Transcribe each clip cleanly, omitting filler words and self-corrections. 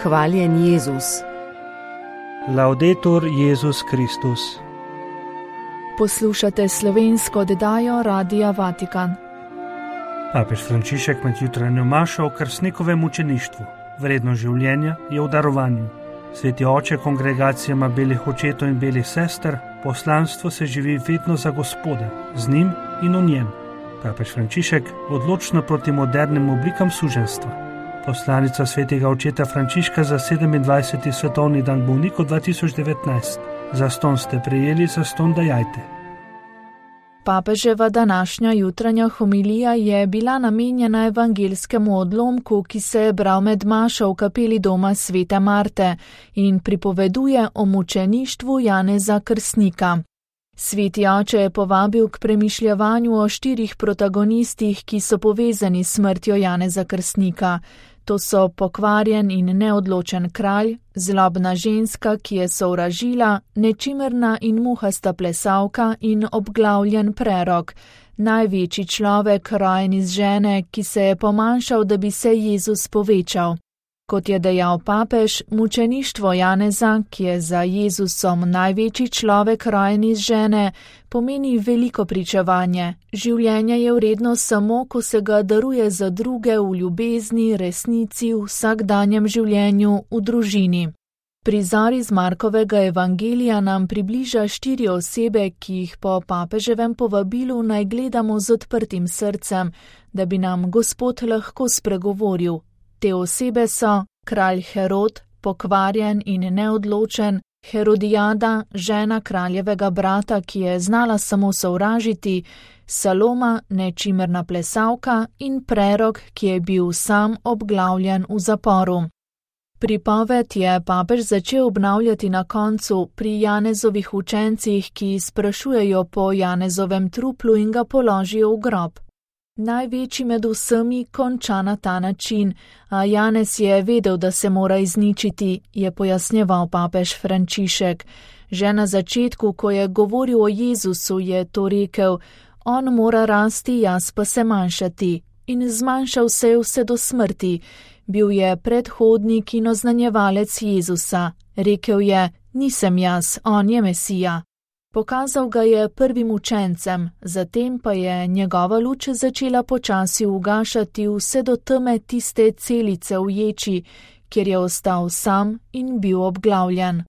Hvaljen Jezus. Laudetur Jezus Kristus. Poslušate slovensko oddajo Radia Vatikan. Papež Frančišek med jutranjo mašo o krstnikovem mučeništvu. Vredno življenja je v darovanju. Sveti oče kongregacijama belih očetov in belih sester, poslanstvo se živi vedno za Gospoda, z njim in v njem. Papež Frančišek odločno proti modernim oblikam suženjstva. Poslanica svetega očeta Frančiška za 27. svetovni dan bolnikov 2019. Zastonj ste prejeli, zastonj dajajte. Papeževa današnja jutranja homilija je bila namenjena evangeljskemu odlomku, ki se je bral med mašo v kapeli doma svete Marte in pripoveduje o mučeništvu Janeza Krstnika. Sveti oče je povabil k premišljavanju o 4 protagonistih, ki so povezani s smrtjo Janeza Krstnika. To so pokvarjen in neodločen kralj, zlobna ženska, ki je sovražila, nečimerna in muhasta plesalka in obglavljen prerok, največji človek, rojen iz žene, ki se je pomanjšal, da bi se Jezus povečal. Kot je dejal papež, mučeništvo Janeza, ki je za Jezusom največji človek, rojen iz žene, pomeni veliko pričevanje. Življenje je vredno samo, ko se ga daruje za druge v ljubezni, resnici, v vsakdanjem življenju, v družini. Prizor iz Markovega evangelija nam približa 4 osebe, ki jih po papeževem povabilu naj gledamo z odprtim srcem, da bi nam Gospod lahko spregovoril. Te osebe so kralj Herod, pokvarjen in neodločen, Herodijada, žena kraljevega brata, ki je znala samo sovražiti, Saloma, nečimerna plesalka in prerok, ki je bil sam obglavljen v zaporu. Pripoved je papež začel obnavljati na koncu pri Janezovih učencih, ki sprašujejo po Janezovem truplu in ga položijo v grob. Največji med vsemi konča na ta način, a Janez je vedel, da se mora izničiti, je pojasnjeval papež Frančišek. Že na začetku, ko je govoril o Jezusu, je to rekel: on mora rasti, jaz pa se manjšati. In zmanjšal se je vse do smrti. Bil je predhodnik in oznanjevalec Jezusa. Rekel je: nisem jaz, on je Mesija. Pokazal ga je prvim učencem, zatem pa je njegova luč začela počasi ugašati vse do teme tiste celice v ječi, kjer je ostal sam in bil obglavljen.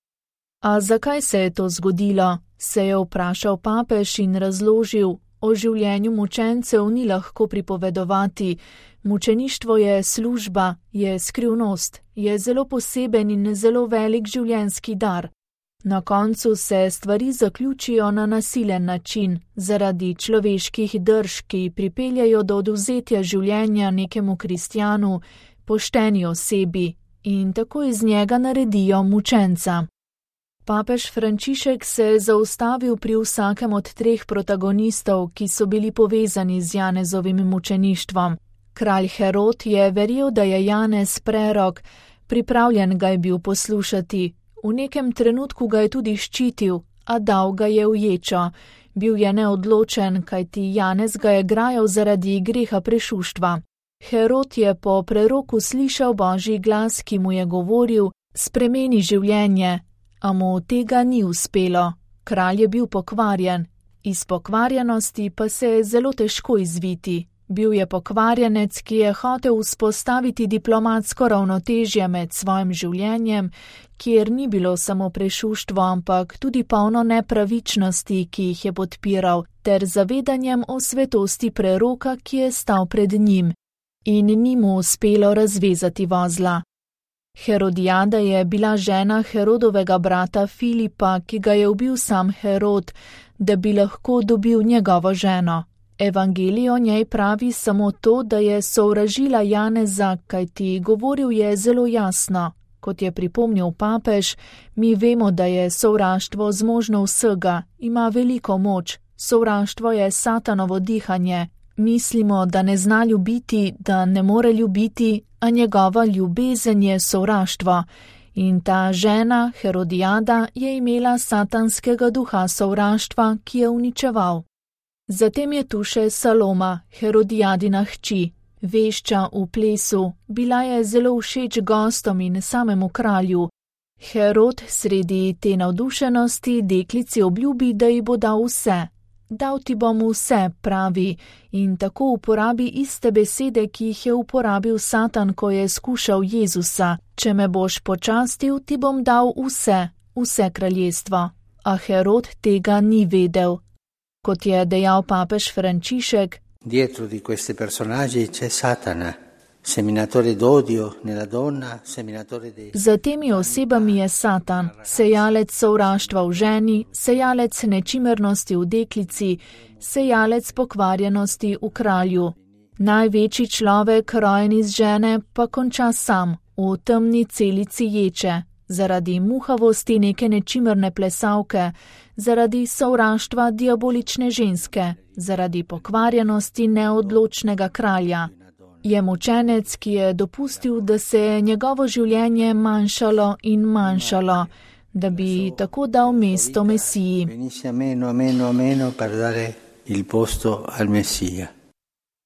A zakaj se je to zgodilo, se je vprašal papež in razložil. O življenju mučencev ni lahko pripovedovati. Mučeništvo je služba, je skrivnost, je zelo poseben in zelo velik življenjski dar. Na koncu se stvari zaključijo na nasilen način, zaradi človeških drž, ki pripeljajo do odvzetja življenja nekemu kristjanu, pošteni osebi, in tako iz njega naredijo mučenca. Papež Frančišek se je zaustavil pri vsakem od 3 protagonistov, ki so bili povezani z Janezovim mučeništvom. Kralj Herod je verjel, da je Janez prerok, pripravljen ga je bil poslušati. V nekem trenutku ga je tudi ščitil, a dal ga je v ječo. Bil je neodločen, kajti Janez ga je grajal zaradi greha prešuštva. Herod je po preroku slišal Božji glas, ki mu je govoril: spremeni življenje, a mu tega ni uspelo. Kralj je bil pokvarjen, iz pokvarjenosti pa se je zelo težko izviti. Bil je pokvarjenec, ki je hotel vzpostaviti diplomatsko ravnotežje med svojim življenjem, kjer ni bilo samo prešuštvo, ampak tudi polno nepravičnosti, ki jih je podpiral, ter zavedanjem o svetosti preroka, ki je stal pred njim. In ni mu uspelo razvezati vozla. Herodijada je bila žena Herodovega brata Filipa, ki ga je ubil sam Herod, da bi lahko dobil njegovo ženo. Evangelij o njej pravi samo to, da je sovražila Janeza, kajti govoril je zelo jasno. Kot je pripomnil papež, mi vemo, da je sovraštvo zmožno vsega, ima veliko moč. Sovraštvo je satanovo dihanje. Mislimo, da ne zna ljubiti, da ne more ljubiti, a njegova ljubezen je sovraštvo. In ta žena, Herodijada, je imela satanskega duha sovraštva, ki je uničeval. Zatem je tu še Saloma, Herodijadina hči. Vešča v plesu, bila je zelo všeč gostom in samemu kralju. Herod sredi te navdušenosti deklici obljubi, da ji bo dal vse. Dal ti bom vse, pravi, in tako uporabi iste besede, ki jih je uporabil Satan, ko je skušal Jezusa. Če me boš počastil, ti bom dal vse kraljestvo. A Herod tega ni vedel. Kot je dejal papež Frančišek, dietro di questi personaggi c'è Satana, seminatore d'odio nella donna, seminatore di... Za temi osebami je Satan, sejalec sovraštva v ženi, sejalec nečimernosti v deklici, sejalec pokvarjenosti v kralju. Največji človek, rojen iz žene, pa konča sam, v temni celici ječe, zaradi muhavosti neke nečimerne plesavke, zaradi sovraštva diabolične ženske, zaradi pokvarjenosti neodločnega kralja. Je mučenec, ki je dopustil, da se je njegovo življenje manjšalo in manjšalo, da bi tako dal mesto Mesiji.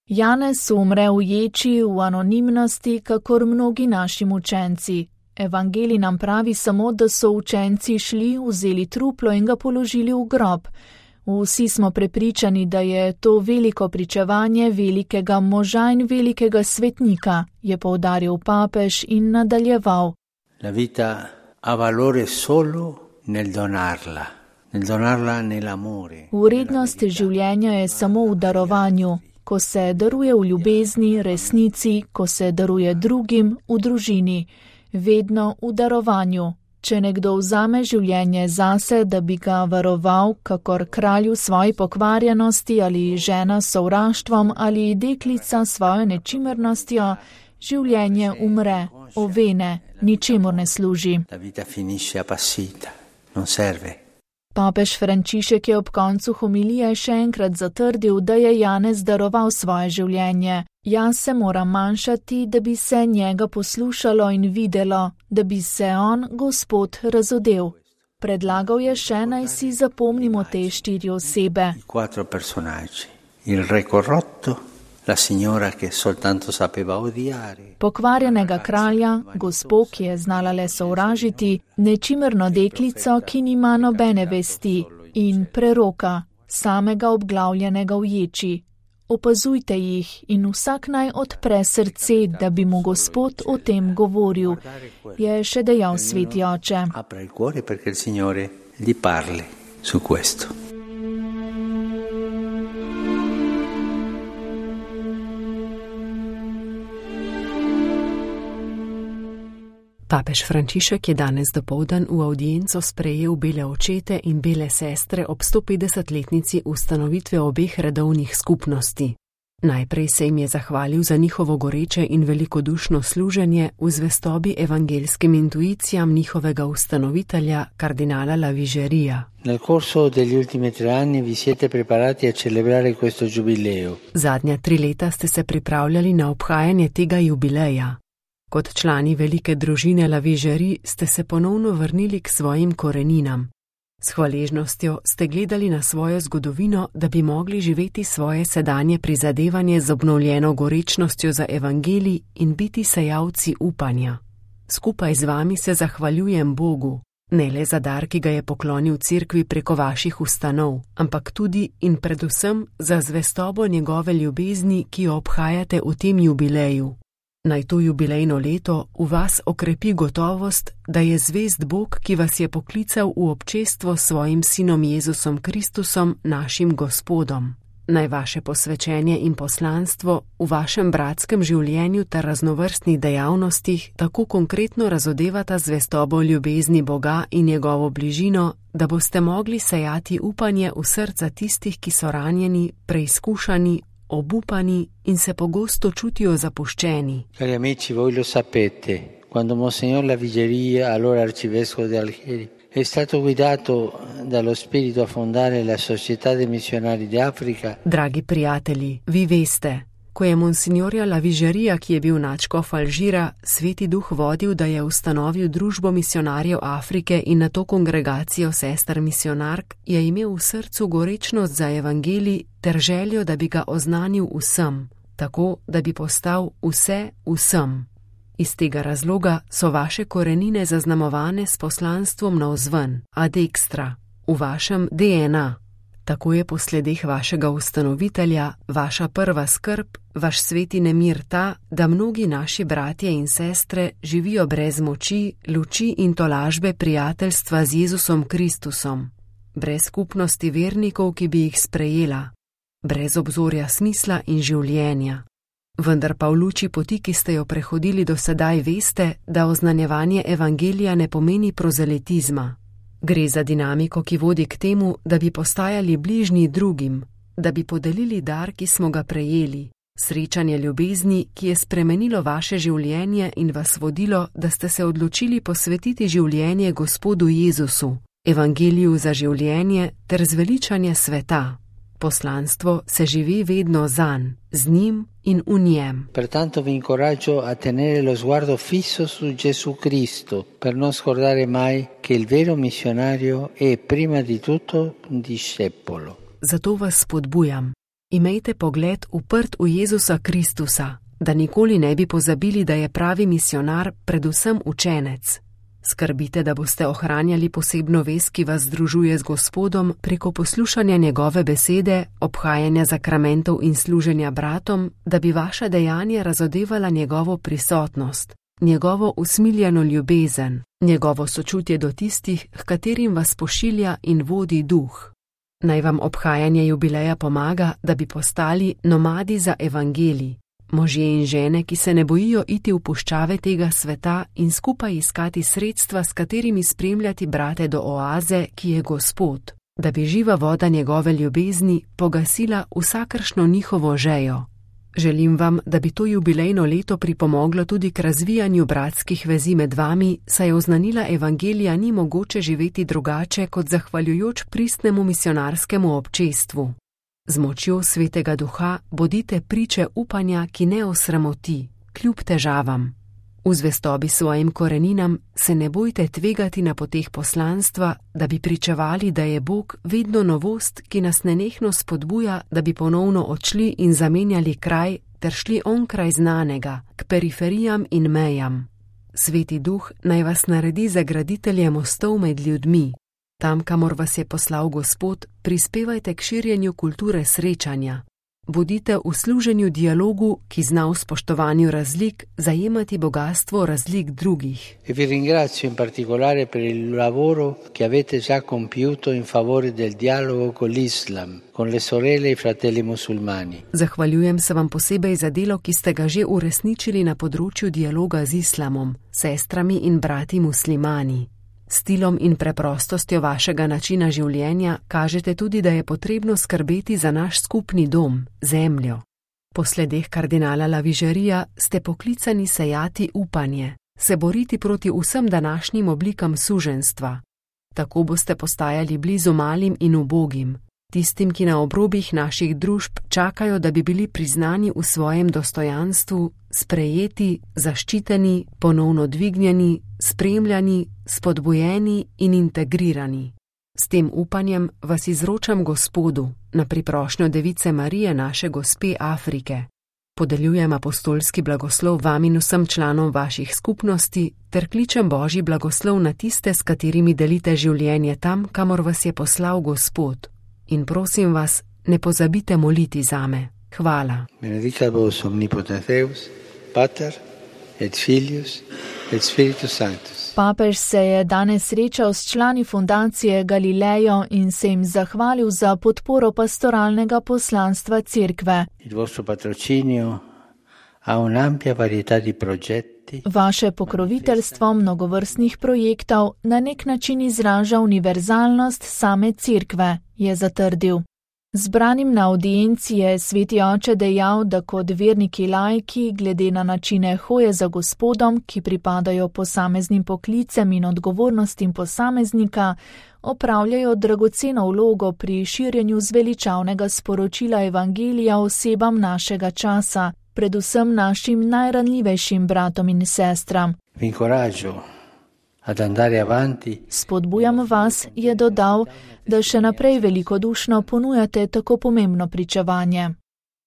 Janez umre v ječi, v anonimnosti, kakor mnogi naši mučenci. Evangelij nam pravi samo, da so učenci šli, vzeli truplo in ga položili v grob. Vsi smo prepričani, da je to veliko pričevanje velikega moža in velikega svetnika, je poudaril papež in nadaljeval. La vita ha valore solo nel donarla nell'amore. Vrednost življenja je samo v darovanju, ko se daruje v ljubezni, resnici, ko se daruje drugim, v družini. Vedno v darovanju. Če nekdo vzame življenje zase, da bi ga varoval, kakor kralju svoji pokvarjenosti ali žena s sovraštvom ali deklica svojo nečimernostjo, življenje umre, ovene, ničemur ne služi. Papež Frančišek je ob koncu homilije še enkrat zatrdil, da je Janez daroval svoje življenje. Jaz se moram manjšati, da bi se njega poslušalo in videlo, da bi se on, Gospod, razodel. Predlagal je še, naj si zapomnimo te 4 osebe. La signora che soltanto sapeva odiare. Pokvarjenega kralja, gospo, ki je znala le sovražiti, nečimerno deklico, ki nima nobene vesti, in preroka, samega obglavljenega v ječi. Opazujte jih in vsak naj odpre srce, da bi mu Gospod o tem govoril, je še dejal sveti oče. Apra il cuore perché il Signore gli parli su questo. Papež Frančišek je danes dopoldan v avdienco sprejel bele očete in bele sestre ob 150-letnici ustanovitve obeh redovnih skupnosti. Najprej se jim je zahvalil za njihovo goreče in velikodušno služenje v zvestobi evangelskim intuicijam njihovega ustanovitelja, kardinala Lavigerija. Nel corso degli ultimi 3 anni vi siete preparati a celebrare questo giubileo. Zadnja 3 leta ste se pripravljali na obhajanje tega jubileja. Kot člani velike družine Lavigeri ste se ponovno vrnili k svojim koreninam. S hvaležnostjo ste gledali na svojo zgodovino, da bi mogli živeti svoje sedanje prizadevanje z obnovljeno gorečnostjo za evangelij in biti sejalci upanja. Skupaj z vami se zahvaljujem Bogu, ne le za dar, ki ga je poklonil cerkvi preko vaših ustanov, ampak tudi in predvsem za zvestobo njegove ljubezni, ki jo obhajate v tem jubileju. Naj to jubilejno leto v vas okrepi gotovost, da je zvest Bog, ki vas je poklical v občestvo s svojim sinom Jezusom Kristusom, našim Gospodom. Naj vaše posvečenje in poslanstvo v vašem bratskem življenju ter raznovrstnih dejavnostih tako konkretno razodevata zvestobo ljubezni Boga in njegovo bližino, da boste mogli sejati upanje v srca tistih, ki so ranjeni, preizkušani, obupani in se pogosto čutijo zapuščeni. Cari amici, voi lo sapete, quando Monsignor Lavigeria, allora arcivescovo di Algeri, è stato guidato dallo spirito a fondare la Società dei Missionari d'Africa. Dragi prijatelji, vi veste, ko je Monsignorja Lavigerija, ki je bil nadškof Alžira, Sveti Duh vodil, da je ustanovil Družbo misionarjev Afrike in nato kongregacijo sester misionark, je imel v srcu gorečnost za evangelij ter željo, da bi ga oznanil vsem. tako da bi postal vse vsem. Iz tega razloga so vaše korenine zaznamovane s poslanstvom navzven, ad extra, v vašem DNA. Tako je po sledeh vašega ustanovitelja, vaša prva skrb, vaš sveti nemir ta, da mnogi naši bratje in sestre živijo brez moči, luči in tolažbe prijateljstva z Jezusom Kristusom, brez skupnosti vernikov, ki bi jih sprejela, brez obzorja smisla in življenja. Vendar pa v luči poti, ki ste jo prehodili do sedaj, veste, da oznanjevanje evangelija ne pomeni prozelitizma. Gre za dinamiko, ki vodi k temu, da bi postajali bližnji drugim, da bi podelili dar, ki smo ga prejeli, srečanje ljubezni, ki je spremenilo vaše življenje in vas vodilo, da ste se odločili posvetiti življenje Gospodu Jezusu, evangeliju za življenje ter zveličanje sveta. Poslanstvo se živi vedno zanj, z njim in v njem. Pertanto vi incoraggio a tenere lo sguardo fisso su Gesù Cristo, per non scordare mai che il vero missionario è prima di tutto un discepolo. Zato vas spodbujam. Imejte pogled uprt v Jezusa Kristusa, da nikoli ne bi pozabili, da je pravi misionar predvsem učenec. Skrbite, da boste ohranjali posebno vez, ki vas združuje z Gospodom preko poslušanja njegove besede, obhajanja zakramentov in služenja bratom, da bi vaša dejanja razodevala njegovo prisotnost, njegovo usmiljeno ljubezen, njegovo sočutje do tistih, h katerim vas pošilja in vodi duh. Naj vam obhajanje jubileja pomaga, da bi postali nomadi za evangelij. Možje in žene, ki se ne bojijo iti v puščave tega sveta in skupaj iskati sredstva, s katerimi spremljati brate do oaze, ki je Gospod, da bi živa voda njegove ljubezni pogasila vsakršno njihovo žejo. Želim vam, da bi to jubilejno leto pripomoglo tudi k razvijanju bratskih vezi med vami, saj oznanila evangelija ni mogoče živeti drugače kot zahvaljujoč pristnemu misionarskemu občestvu. Z močjo Svetega Duha bodite priče upanja, ki ne osramoti, kljub težavam. V zvestobi svojim koreninam se ne bojte tvegati na poteh poslanstva, da bi pričevali, da je Bog vedno novost, ki nas nenehno spodbuja, da bi ponovno odšli in zamenjali kraj ter šli onkraj znanega, k periferijam in mejam. Sveti Duh naj vas naredi za graditelje mostov med ljudmi. Tam, kamor vas je poslal Gospod, prispevajte k širjenju kulture srečanja. Bodite v služenju dialogu, ki zna v spoštovanju razlik zajemati bogastvo razlik drugih. E vi ringrazio in particolare per il lavoro che avete già compiuto in favore del dialogo con l'Islam, con le sorelle e fratelli musulmani. Zahvaljujem se vam posebej za delo, ki ste ga že uresničili na področju dialoga z islamom, sestrami in brati muslimani. Stilom in preprostostjo vašega načina življenja kažete tudi, da je potrebno skrbeti za naš skupni dom, zemljo. Po sledeh kardinala Lavigerija ste poklicani sejati upanje, se boriti proti vsem današnjim oblikam suženjstva. Tako boste postajali blizu malim in ubogim, tistim, ki na obrobjih naših družb čakajo, da bi bili priznani v svojem dostojanstvu, sprejeti, zaščiteni, ponovno dvignjeni, spremljani, spodbujeni in integrirani. S tem upanjem vas izročam Gospodu na priprošnjo Device Marije, naše Gospe Afrike. Podeljujem apostolski blagoslov vam in vsem članom vaših skupnosti ter kličem Božji blagoslov na tiste, s katerimi delite življenje tam, kamor vas je poslal Gospod. In prosim vas, ne pozabite moliti zame. Hvala. Benedicat vos omnipotens Deus, Pater et Filius et Spiritus Sanctus. Papež se je danes srečal s člani fundacije Galilejo in se jim zahvalil za podporo pastoralnega poslanstva Cerkve. Il vostro patrocinio ha un'ampia varietà di progetti. Vaše pokroviteljstvo mnogovrstnih projektov na nek način izraža univerzalnost same Cerkve, je zatrdil. Zbranim na audienci je sveti oče dejal, da kot verniki laiki, glede na načine hoje za Gospodom, ki pripadajo posameznim poklicem in odgovornostim posameznika, opravljajo dragoceno vlogo pri širjenju zveličavnega sporočila evangelija osebam našega časa, predvsem našim najranljivejšim bratom in sestram. Spodbujam vas, je dodal, da še naprej velikodušno ponujate tako pomembno pričevanje.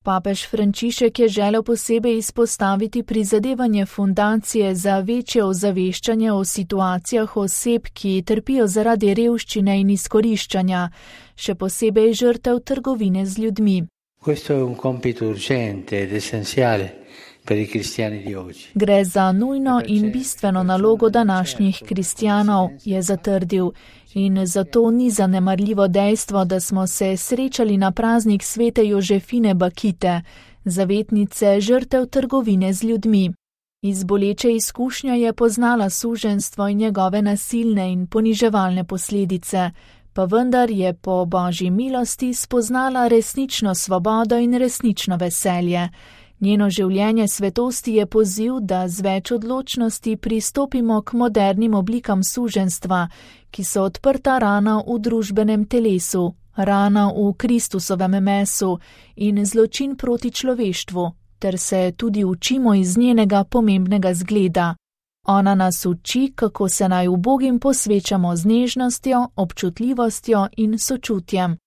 Papež Frančišek je želel posebej izpostaviti prizadevanje fundacije za večje ozaveščanje o situacijah oseb, ki trpijo zaradi revščine in izkoriščanja, še posebej žrtev trgovine z ljudmi. Questo è un compito urgente ed essenziale per i cristiani di oggi. Gre za nujno in bistveno nalogo današnjih kristjanov, je zatrdil. In zato ni zanemarljivo dejstvo, da smo se srečali na praznik svete Jožefine Bakite, zavetnice žrtev trgovine z ljudmi. Iz boleče izkušnje je poznala suženjstvo in njegove nasilne in poniževalne posledice, pa vendar je po Božji milosti spoznala resnično svobodo in resnično veselje. Njeno življenje svetosti je poziv, da z več odločnosti pristopimo k modernim oblikam suženjstva, ki so odprta rana v družbenem telesu, rana v Kristusovem mesu in zločin proti človeštvu, ter se tudi učimo iz njenega pomembnega zgleda. Ona nas uči, kako se naj ubogim posvečamo z nežnostjo, občutljivostjo in sočutjem.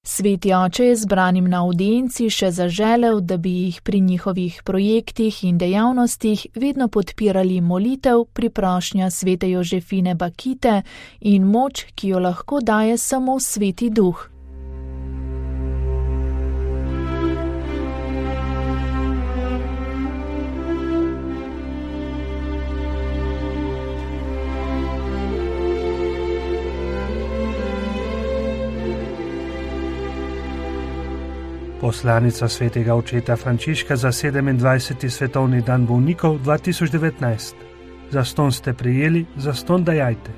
Sveti oče je zbranim na audienci še zaželel, da bi jih pri njihovih projektih in dejavnostih vedno podpirali molitev, priprošnja svete Jožefine Bakite in moč, ki jo lahko daje samo Sveti Duh. Poslanica svetega očeta Frančiška za 27. svetovni dan bolnikov 2019. Zastonj ste prejeli, zastonj dajajte.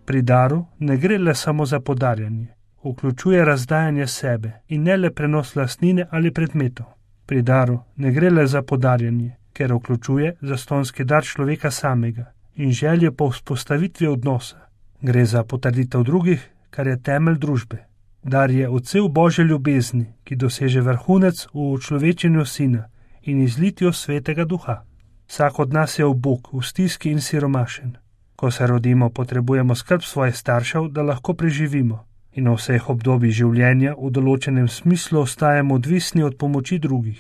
Pri daru ne gre le samo za podarjanje. Vključuje razdajanje sebe in ne le prenos lastnine ali predmetov. Pri daru ne gre le za podarjanje, ker vključuje zastonjski dar človeka samega in želje po vzpostavitvi odnosa. Gre za potrditev drugih, kar je temelj družbe. Dar je odsev Božje ljubezni, ki doseže vrhunec v človečenju Sina in izlitju Svetega Duha. Vsak od nas je ubog, v stiski in siromašen. Ko se rodimo, potrebujemo skrb svojih staršev, da lahko preživimo. In v vseh obdobjih življenja v določenem smislu ostajamo odvisni od pomoči drugih.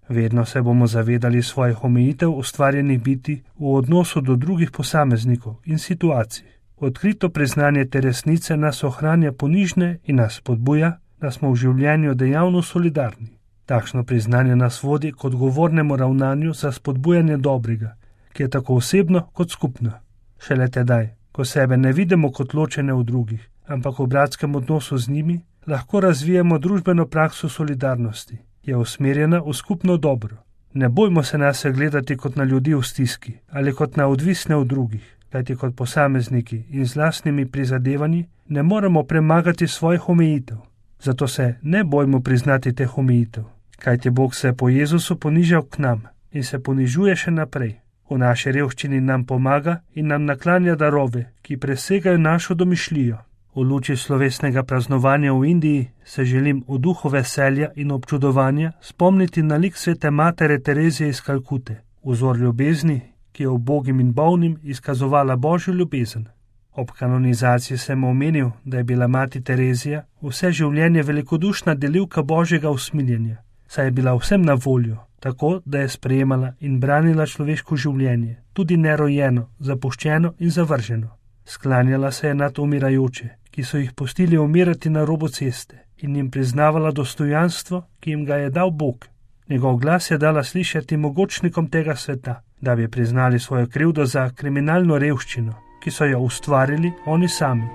Vedno se bomo zavedali svojih omejitev ustvarjenih biti v odnosu do drugih posameznikov in situacij. Odkrito priznanje te resnice nas ohranja ponižne in nas spodbuja, da smo v življenju dejavno solidarni. Takšno priznanje nas vodi k odgovornemu ravnanju za spodbujanje dobrega, ki je tako osebno kot skupno. Šele tedaj, ko sebe ne vidimo kot ločene v drugih, ampak v bratskem odnosu z njimi, lahko razvijemo družbeno prakso solidarnosti, je usmerjena v skupno dobro. Ne bojmo se nase gledati kot na ljudi v stiski ali kot na odvisne od drugih, kajti kot posamezniki in z lastnimi prizadevanji ne moremo premagati svojih omejitev. Zato se ne bojmo priznati teh omejitev, kajti Bog se po Jezusu ponižal k nam in se ponižuje še naprej. V naši revščini nam pomaga in nam naklanja darove, ki presegajo našo domišljijo. V luči slovesnega praznovanja v Indiji se želim v duhu veselja in občudovanja spomniti na lik svete matere Terezije iz Kalkute, vzor ljubezni, ki je ubogim in bolnim izkazovala Božjo ljubezen. Ob kanonizaciji sem omenil, da je bila mati Terezija vse življenje velikodušna delivka Božjega usmiljenja, saj je bila vsem na voljo, tako da je sprejemala in branila človeško življenje, tudi nerojeno, zapuščeno in zavrženo. Sklanjala se je nad umirajoče, ki so jih pustili umirati na robu ceste, in jim priznavala dostojanstvo, ki jim ga je dal Bog. Njegov glas je dala slišati mogočnikom tega sveta, da bi priznali svojo krivdo za kriminalno revščino, ki so jo ustvarili oni sami.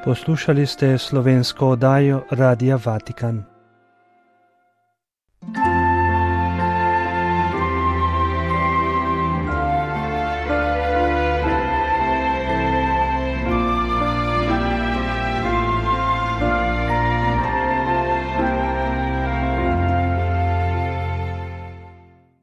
Poslušali ste slovensko oddajo Radia Vatikan.